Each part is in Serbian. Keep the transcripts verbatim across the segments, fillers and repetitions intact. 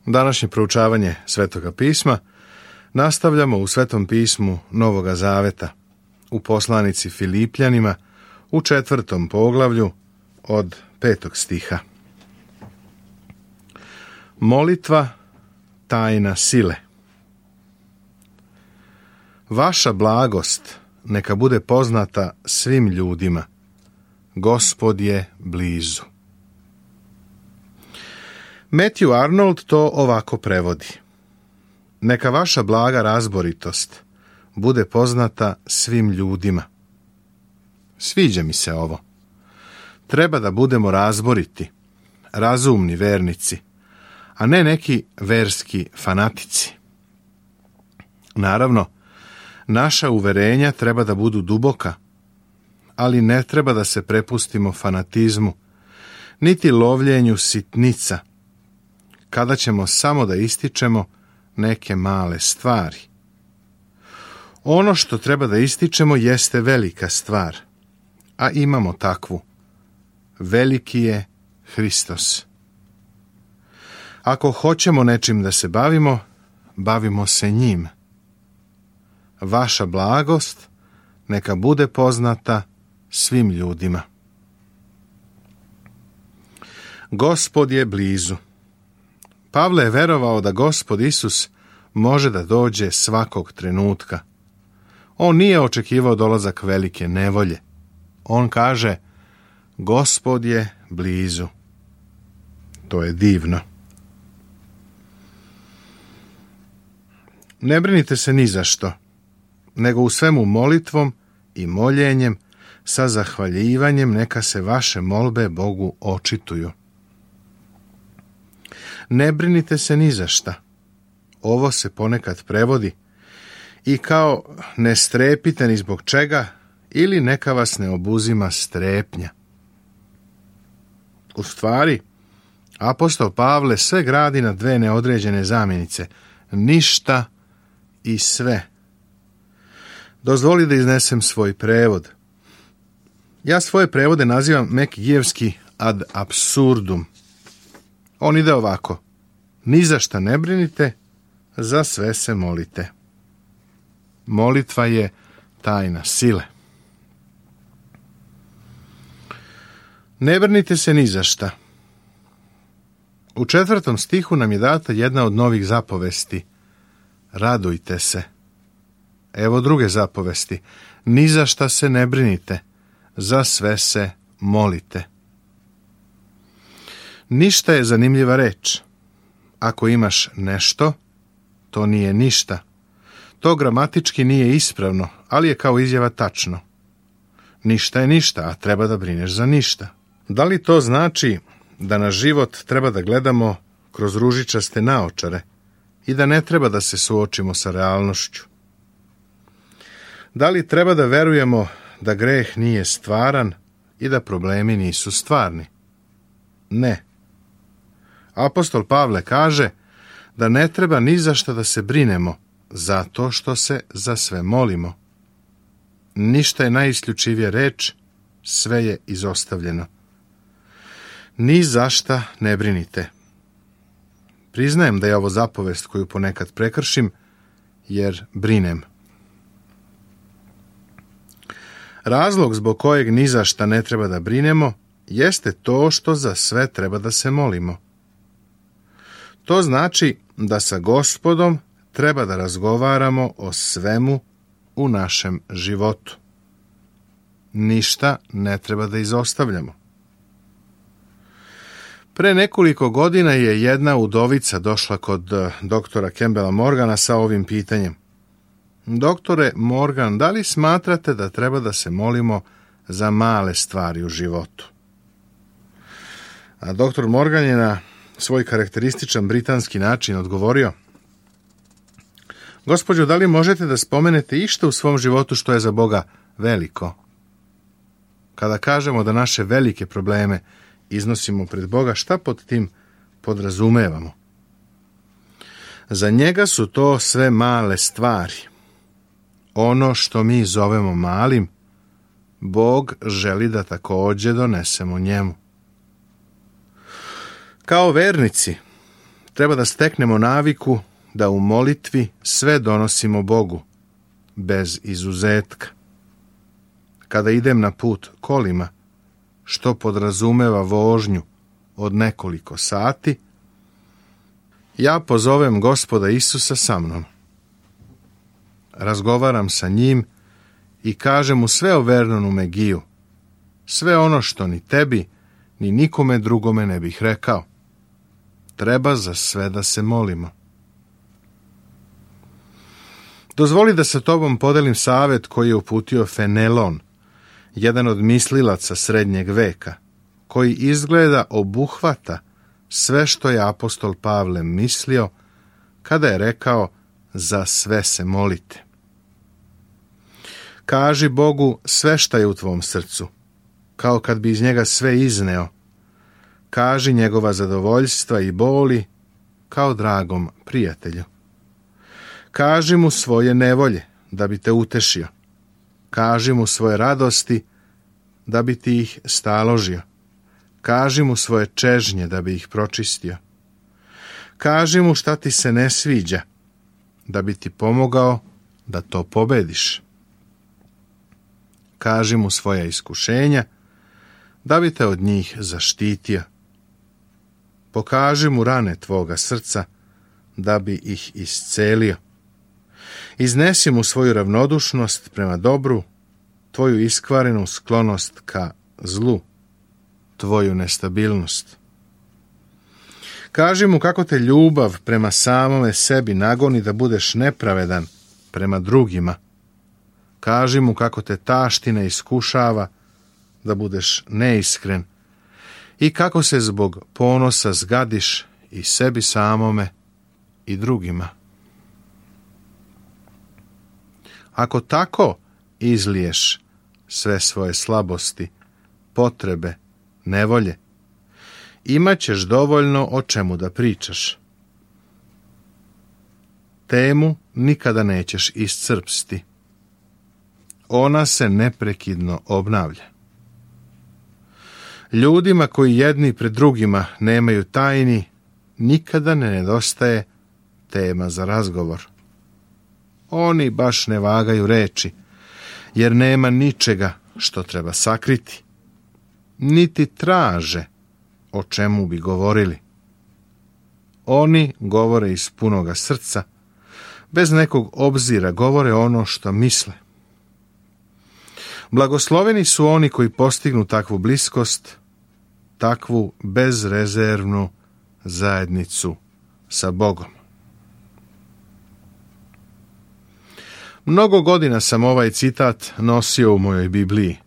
Današnje proučavanje Svetoga pisma nastavljamo u Svetom pismu Novoga Zaveta, u poslanici Filipljanima, u četvrtom poglavlju od petog stiha. Molitva, tajna sile. Vaša blagost neka bude poznata svim ljudima. Gospod je blizu. Matthew Arnold to ovako prevodi. Neka vaša blaga razboritost bude poznata svim ljudima. Sviđa mi se ovo. Treba da budemo razboriti, razumni vernici, a ne neki verski fanatici. Naravno, naša uverenja treba da budu duboka, ali ne treba da se prepustimo fanatizmu, niti lovljenju sitnica, kada ćemo samo da ističemo neke male stvari. Ono što treba da ističemo jeste velika stvar, a imamo takvu. Veliki je Hristos. Ako hoćemo nečim da se bavimo, bavimo se njim. Vaša blagost neka bude poznata svim ljudima. Gospod je blizu. Pavle je verovao da Gospod Isus može da dođe svakog trenutka. On nije očekivao dolazak velike nevolje. On kaže, Gospod je blizu. To je divno. Ne brinite se ni za što, nego u svemu molitvom i moljenjem sa zahvaljivanjem neka se vaše molbe Bogu očituju. Ne brinite se ni za šta. Ovo se ponekad prevodi i kao ne strepite ni zbog čega ili neka vas ne obuzima strepnja. U stvari, apostol Pavle sve gradi na dve neodređene zamjenice, ništa i sve. Dozvoli da iznesem svoj prevod. Ja svoje prevode nazivam mekijevski ad absurdum. On ide ovako. Ni za šta ne brinite, za sve se molite. Molitva je tajna sile. Ne brinite se ni za šta. U četvrtom stihu nam je data jedna od novih zapovesti. Radujte se. Evo druge zapovesti. Ni za šta se ne brinite, za sve se molite. Ništa je zanimljiva reč. Ako imaš nešto, to nije ništa. To gramatički nije ispravno, ali je kao izjava tačno. Ništa je ništa, a treba da brineš za ništa. Da li to znači da na život treba da gledamo kroz ružičaste naočare i da ne treba da se suočimo sa realnošću? Da li treba da verujemo da greh nije stvaran i da problemi nisu stvarni? Ne. Apostol Pavle kaže da ne treba ni za šta da se brinemo, zato što se za sve molimo. Ništa je najisključivija reč, sve je izostavljeno. Ni za šta ne brinite. Priznajem da je ovo zapovest koju ponekad prekršim, jer brinem. Razlog zbog kojeg ni za šta ne treba da brinemo jeste to što za sve treba da se molimo. To znači da sa Gospodom treba da razgovaramo o svemu u našem životu. Ništa ne treba da izostavljamo. Pre nekoliko godina je jedna udovica došla kod doktora Campbella Morgana sa ovim pitanjem. Doktore Morgan, da li smatrate da treba da se molimo za male stvari u životu? A doktor Morgan je na svoj karakterističan britanski način odgovorio: Gospođo, da li možete da spomenete išta u svom životu što je za Boga veliko? Kada kažemo da naše velike probleme iznosimo pred Boga, šta pod tim podrazumevamo? Za njega su to sve male stvari. Ono što mi zovemo malim, Bog želi da također donesemo njemu. Kao vernici Treba da steknemo naviku da u molitvi sve donosimo Bogu, bez izuzetka. Kada idem na put kolima, što podrazumeva vožnju od nekoliko sati, ja pozovem Gospoda Isusa sa mnom. Razgovaram sa njim i kažem mu sve o Vernonu Megiju, sve ono što ni tebi, ni nikome drugome ne bih rekao. Treba za sve da se molimo. Dozvoli da sa tobom podelim savjet koji je uputio Fenelon, jedan od mislilaca srednjeg veka, koji izgleda obuhvata sve što je apostol Pavle mislio kada je rekao za sve se molite. Kaži Bogu sve šta je u tvom srcu, kao kad bi iz njega sve izneo. Kaži njegova zadovoljstva i boli kao dragom prijatelju. Kaži mu svoje nevolje da bi te utešio. Kaži mu svoje radosti da bi ti ih staložio. Kaži mu svoje čežnje da bi ih pročistio. Kaži mu šta ti se ne sviđa da bi ti pomogao da to pobediš. Kaži mu svoja iskušenja da bi te od njih zaštitio. Pokaži mu rane tvoga srca da bi ih iscelio. Iznesi mu svoju ravnodušnost prema dobru, tvoju iskvarenu sklonost ka zlu, tvoju nestabilnost. Kaži mu kako te ljubav prema samome sebi nagoni da budeš nepravedan prema drugima. Kaži mu kako te taština iskušava da budeš neiskren i kako se zbog ponosa zgadiš i sebi samome i drugima. Ako tako izliješ sve svoje slabosti, potrebe, nevolje, imat ćeš dovoljno o čemu da pričaš. Temu nikada nećeš iscrpsti. Ona se neprekidno obnavlja. Ljudima koji jedni pred drugima nemaju tajni, nikada ne nedostaje tema za razgovor. Oni baš ne vagaju reči, jer nema ničega što treba sakriti. Niti traže o čemu bi govorili. Oni govore iz punoga srca, bez nekog obzira govore ono što misle. Blagosloveni su oni koji postignu takvu bliskost, takvu bezrezervnu zajednicu sa Bogom. Mnogo godina sam ovaj citat nosio u mojoj Bibliji.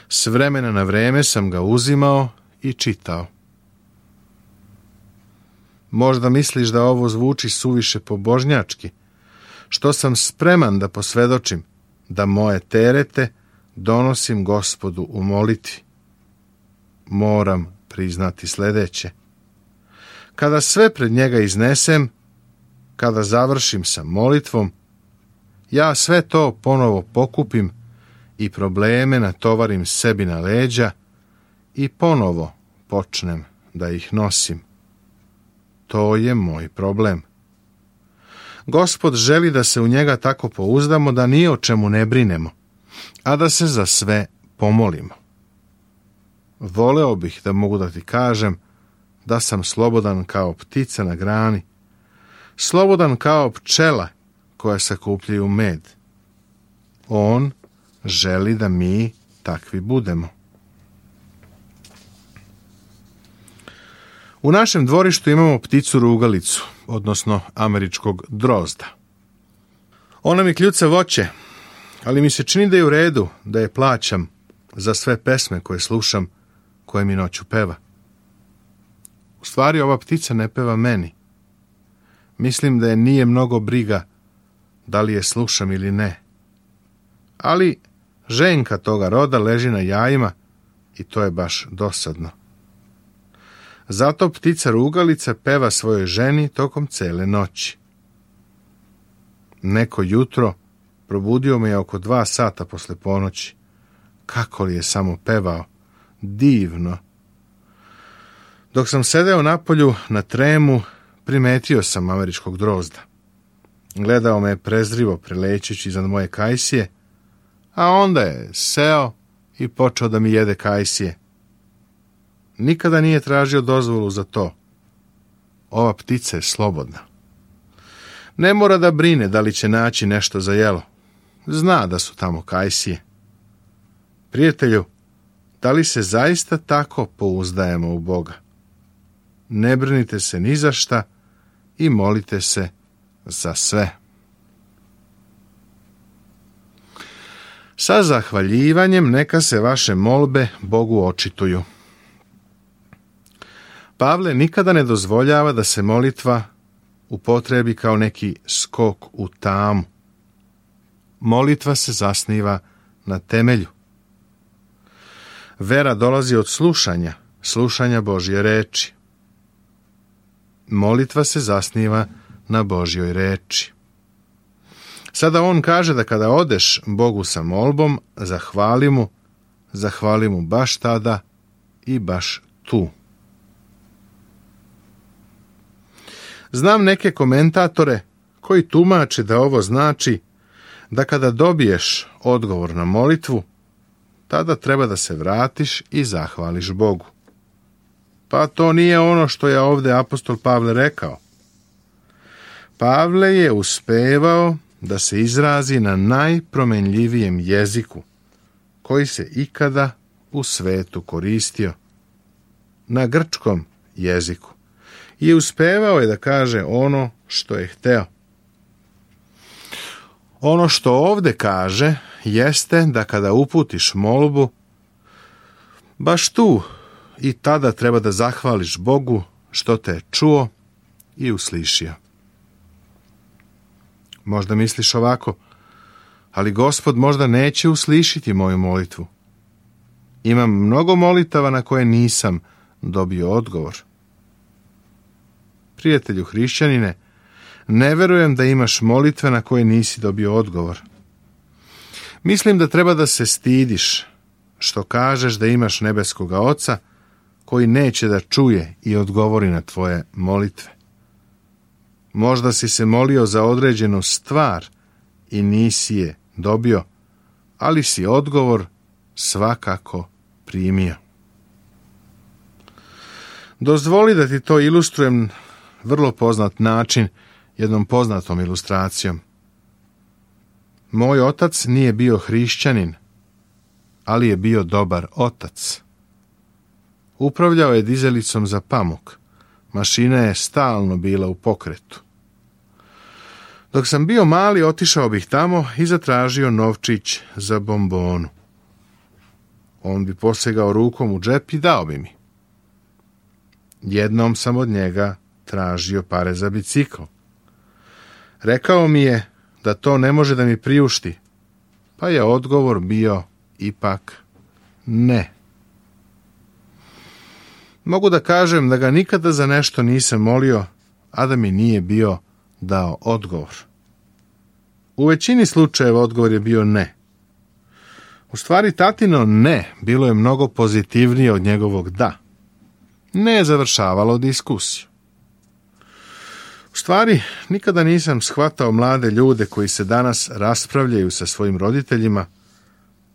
S vremena na vreme sam ga uzimao i čitao. Možda misliš da ovo zvuči suviše pobožnjački, što sam spreman da posvedočim da moje terete donosim Gospodu u molitvi. Moram priznati sljedeće. Kada sve pred njega iznesem, kada završim sa molitvom, ja sve to ponovo pokupim i probleme natovarim sebi na leđa i ponovo počnem da ih nosim. To je moj problem. Gospod želi da se u njega tako pouzdamo da ni o čemu ne brinemo, a da se za sve pomolimo. Voleo bih da mogu da ti kažem da sam slobodan kao ptica na grani, slobodan kao pčela koja sakupljaju med. On želi da mi takvi budemo. U našem dvorištu imamo pticu rugalicu, odnosno američkog drozda. Ona mi kljuca voće, ali mi se čini da je u redu da je plaćam za sve pesme koje slušam, koje mi noću peva. U stvari ova ptica ne peva meni. Mislim da je nije mnogo briga da li je slušam ili ne. Ali ženka toga roda leži na jajima i to je baš dosadno. Zato ptica rugalica peva svojoj ženi tokom cele noći. Neko jutro probudio me je oko dva sata posle ponoći. Kako li je samo pevao? Divno. Dok sam sedeo napolju na tremu, primetio sam američkog drozda. Gledao me prezrivo prelećući iznad moje kajsije, a onda je seo i počeo da mi jede kajsije. Nikada nije tražio dozvolu za to. Ova ptica je slobodna. Ne mora da brine da li će naći nešto za jelo. Zna da su tamo kajsije. Prijatelju, da li se zaista tako pouzdajemo u Boga? Ne brinite se ni za šta i molite se za sve. Sa zahvaljivanjem neka se vaše molbe Bogu očituju. Pavle nikada ne dozvoljava da se molitva upotrebi kao neki skok u tamu. Molitva se zasniva na temelju. Vera dolazi od slušanja, slušanja Božje reči. Molitva se zasniva na Božjoj reči. Sada on kaže da kada odeš Bogu sa molbom, zahvali mu, zahvali mu baš tada i baš tu. Znam neke komentatore koji tumače da ovo znači da kada dobiješ odgovor na molitvu, tada treba da se vratiš i zahvališ Bogu. Pa to nije ono što je ovdje apostol Pavle rekao. Pavle je uspevao da se izrazi na najpromenljivijem jeziku koji se ikada u svetu koristio, na grčkom jeziku. I uspevao je da kaže ono što je hteo. Ono što ovdje kaže jeste da kada uputiš molbu, baš tu i tada treba da zahvališ Bogu što te je čuo i uslišio. Možda misliš ovako, ali Gospod možda neće uslišiti moju molitvu. Imam mnogo molitava na koje nisam dobio odgovor. Prijatelju hrišćanine, ne verujem da imaš molitve na koje nisi dobio odgovor. Mislim da treba da se stidiš što kažeš da imaš nebeskoga Oca koji neće da čuje i odgovori na tvoje molitve. Možda si se molio za određenu stvar i nisi je dobio, ali si odgovor svakako primio. Dozvoli da ti to ilustrujem vrlo poznat način, jednom poznatom ilustracijom. Moj otac nije bio hrišćanin, ali je bio dobar otac. Upravljao je dizelicom za pamuk. Mašina je stalno bila u pokretu. Dok sam bio mali, otišao bih tamo i zatražio novčić za bombonu. On bi posegao rukom u džep i dao bi mi. Jednom sam od njega tražio pare za bicikl. Rekao mi je da to ne može da mi priušti, pa je odgovor bio ipak ne. Mogu da kažem da ga nikada za nešto nisam molio, a da mi nije bio dao odgovor. U većini slučajeva odgovor je bio ne. U stvari tatino ne bilo je mnogo pozitivnije od njegovog da. Ne je završavalo diskusiju. U stvari, nikada nisam shvatao mlade ljude koji se danas raspravljaju sa svojim roditeljima,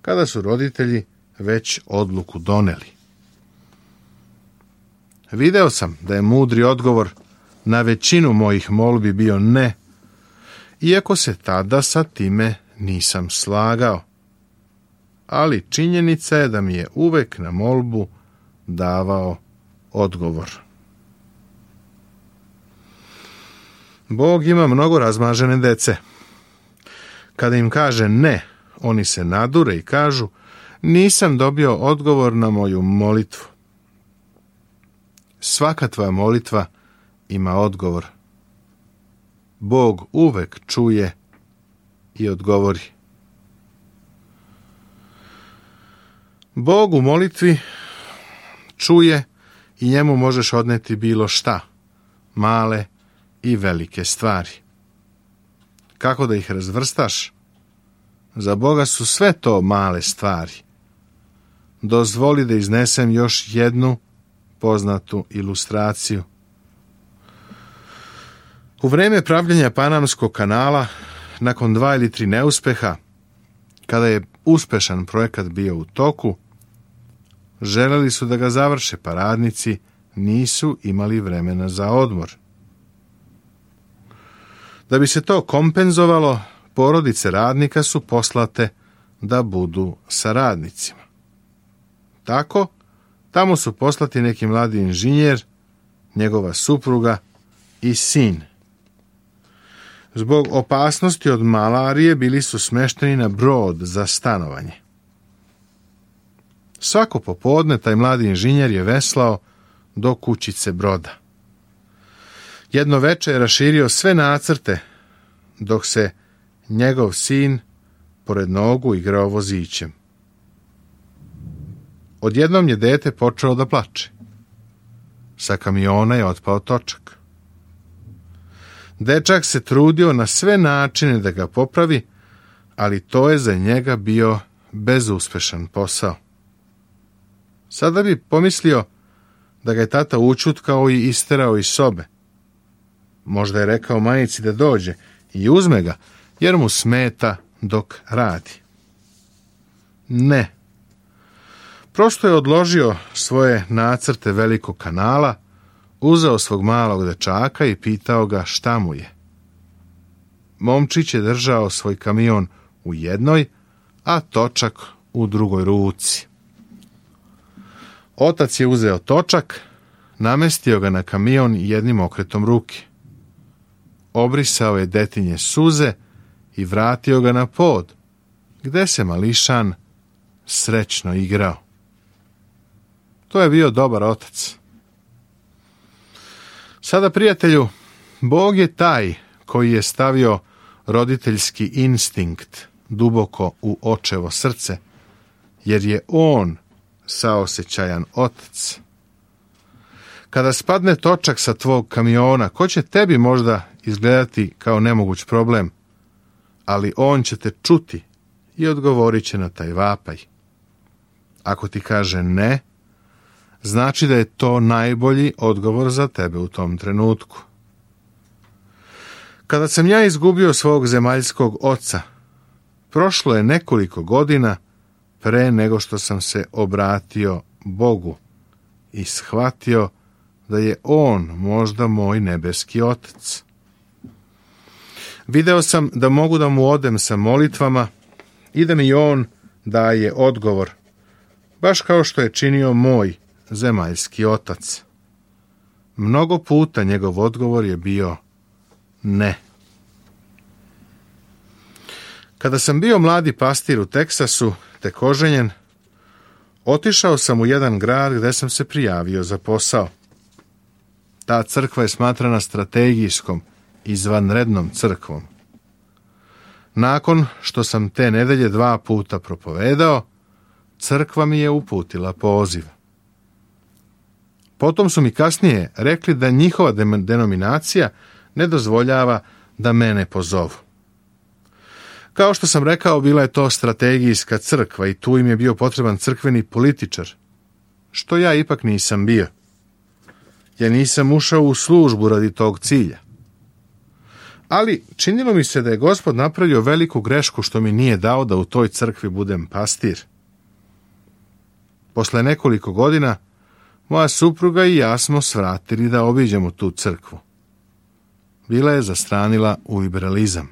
kada su roditelji već odluku doneli. Video sam da je mudri odgovor na većinu mojih molbi bio ne, iako se tada sa time nisam slagao. Ali činjenica je da mi je uvek na molbu davao odgovor. Bog ima mnogo razmažene dece. Kada im kaže ne, oni se nadure i kažu: nisam dobio odgovor na moju molitvu. Svaka tvoja molitva ima odgovor. Bog uvek čuje i odgovori. Bog u molitvi čuje i njemu možeš odneti bilo šta, male i velike stvari. Kako da ih razvrstaš? Za Boga su sve to male stvari. Dozvoli da iznesem još jednu poznatu ilustraciju. U vrijeme pravljenja Panamskog kanala, nakon dva ili tri neuspeha, kada je uspešan projekat bio u toku, želeli su da ga završe, pa radnici nisu imali vremena za odmor. Da bi se to kompenzovalo, porodice radnika su poslate da budu sa radnicima. Tako, tamo su poslati neki mladi inženjer, njegova supruga i sin. Zbog opasnosti od malarije bili su smešteni na brod za stanovanje. Svako popodne taj mladi inženjer je veslao do kućice broda. Jedno veče je raširio sve nacrte, dok se njegov sin pored nogu igrao vozićem. Odjednom je dete počelo da plače. Sa kamiona je otpao točak. Dečak se trudio na sve načine da ga popravi, ali to je za njega bio bezuspešan posao. Sada bi pomislio da ga je tata učutkao i isterao iz sobe. Možda je rekao majici da dođe i uzme ga, jer mu smeta dok radi. Ne. Prosto je odložio svoje nacrte velikog kanala, uzeo svog malog dečaka i pitao ga šta mu je. Momčić je držao svoj kamion u jednoj, a točak u drugoj ruci. Otac je uzeo točak, namestio ga na kamion jednim okretom ruke. Obrisao je detinje suze i vratio ga na pod, gde se mališan srećno igrao. To je bio dobar otac. Sada, prijatelju, Bog je taj koji je stavio roditeljski instinkt duboko u očevo srce, jer je on saosećajan otac. Kada spadne točak sa tvog kamiona, ko će tebi možda izgledati kao nemoguć problem, ali on će te čuti i odgovorit će na taj vapaj. Ako ti kaže ne, znači da je to najbolji odgovor za tebe u tom trenutku. Kada sam ja izgubio svog zemaljskog oca, prošlo je nekoliko godina pre nego što sam se obratio Bogu i shvatio da je on možda moj nebeski otac. Video sam da mogu da mu odem sa molitvama i da mi on daje odgovor, baš kao što je činio moj zemaljski otac. Mnogo puta njegov odgovor je bio ne. Kada sam bio mladi pastir u Teksasu, tek oženjen, otišao sam u jedan grad gde sam se prijavio za posao. Ta crkva je smatrana strategijskom, izvanrednom crkvom. Nakon što sam te nedelje dva puta propovedao, crkva mi je uputila poziv. Potom su mi kasnije rekli da njihova denominacija ne dozvoljava da mene pozovu. Kao što sam rekao, bila je to strategijska crkva i tu im je bio potreban crkveni političar, što ja ipak nisam bio. Ja nisam ušao u službu radi tog cilja. Ali činilo mi se da je Gospod napravio veliku grešku što mi nije dao da u toj crkvi budem pastir. Posle nekoliko godina moja supruga i ja smo svratili da obiđemo tu crkvu. Bila je zastranila u liberalizam.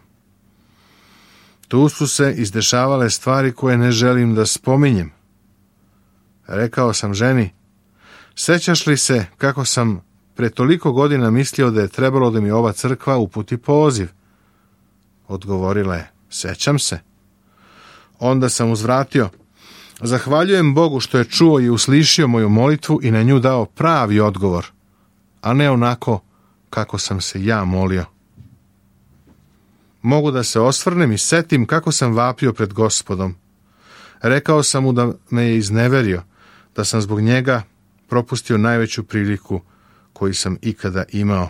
Tu su se izdešavale stvari koje ne želim da spominjem. Rekao sam ženi, sećaš li se kako sam pre toliko godina mislio da je trebalo da mi ova crkva uputi poziv? Odgovorila je, sećam se. Onda sam uzvratio, zahvaljujem Bogu što je čuo i uslišio moju molitvu i na nju dao pravi odgovor, a ne onako kako sam se ja molio. Mogu da se osvrnem i setim kako sam vapio pred Gospodom. Rekao sam mu da me je izneverio, da sam zbog njega propustio najveću priliku koju sam ikada imao.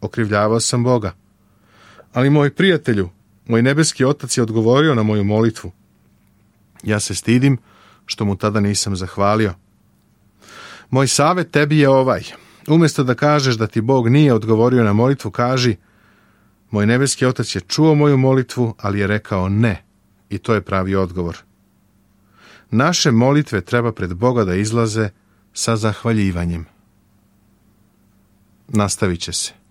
Okrivljavao sam Boga. Ali moj prijatelju, moj nebeski otac je odgovorio na moju molitvu. Ja se stidim što mu tada nisam zahvalio. Moj savet tebi je ovaj. Umjesto da kažeš da ti Bog nije odgovorio na molitvu, kaži: moj nebeski Otac je čuo moju molitvu, ali je rekao ne. I to je pravi odgovor. Naše molitve treba pred Boga da izlaze sa zahvaljivanjem. Nastavit će se.